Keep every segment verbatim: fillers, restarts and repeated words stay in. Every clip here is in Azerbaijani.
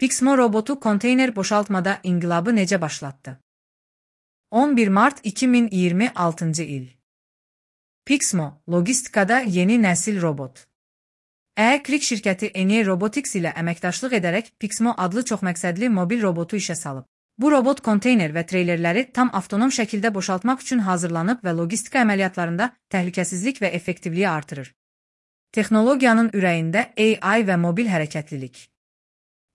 Pixmo robotu konteyner boşaltmada inqilabı necə başlatdı? on bir mart iki min iyirmi altıncı il. Pixmo, logistikada yeni nəsil robot. E-Krik şirkəti Enie Robotics ilə əməkdaşlıq edərək Pixmo adlı çoxməqsədli mobil robotu işə salıb. Bu robot konteyner və treylerləri tam avtonom şəkildə boşaltmaq üçün hazırlanıb və logistika əməliyyatlarında təhlükəsizlik və effektivliyi artırır. Texnologiyanın ürəyində A I və mobil hərəkətlilik.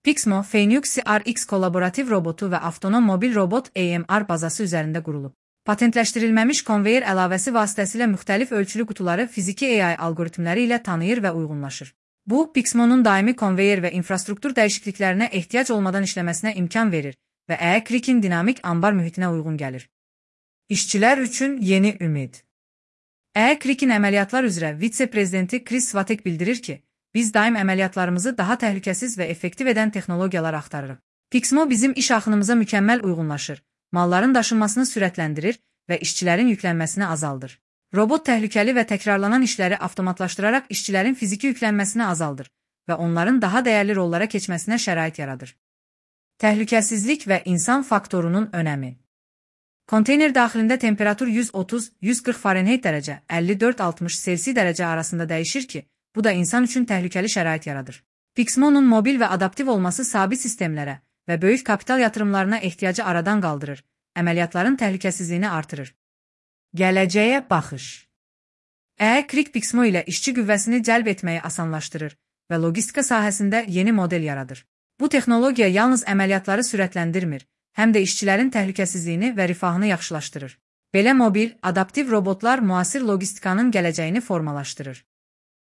Pixmo, Phoenix R X kolaborativ robotu və avtonom mobil robot A M R bazası üzərində qurulub. Patentləşdirilməmiş konveyer əlavəsi vasitəsilə müxtəlif ölçülü qutuları fiziki A I algoritmləri ilə tanıyır və uyğunlaşır. Bu, Pixmo'nun daimi konveyer və infrastruktur dəyişikliklərinə ehtiyac olmadan işləməsinə imkan verir və E-Krik'in dinamik ambar mühitinə uyğun gəlir. İşçilər üçün yeni ümid. E-Krik'in əməliyyatlar üzrə vitse-prezidenti Chris Svatek bildirir ki, biz daim əməliyyatlarımızı daha təhlükəsiz və effektiv edən texnologiyalar axtarırıq. Pixmo bizim iş axınımıza mükəmməl uyğunlaşır, malların daşınmasını sürətləndirir və işçilərin yüklənməsini azaldır. Robot təhlükəli və təkrarlanan işləri avtomatlaşdıraraq işçilərin fiziki yüklənməsini azaldır və onların daha dəyərli rollara keçməsinə şərait yaradır. Təhlükəsizlik və insan faktorunun önəmi. Konteyner daxilində temperatur yüz otuz - yüz qırx Farenheit dərəcə, əlli dörd - altmış Selsi dərəcə arasında dəyişir ki, bu da insan üçün təhlükəli şərait yaradır. Pixmo'nun mobil və adaptiv olması sabit sistemlərə və böyük kapital yatırımlarına ehtiyacı aradan qaldırır, əməliyyatların təhlükəsizliyini artırır. Gələcəyə baxış. E-Krik Pixmo ilə işçi qüvvəsini cəlb etməyi asanlaşdırır və logistika sahəsində yeni model yaradır. Bu texnologiya yalnız əməliyyatları sürətləndirmir, həm də işçilərin təhlükəsizliyini və rifahını yaxşılaşdırır. Belə mobil, adaptiv robotlar müasir logistikanın gələcəyini formalaşdırır.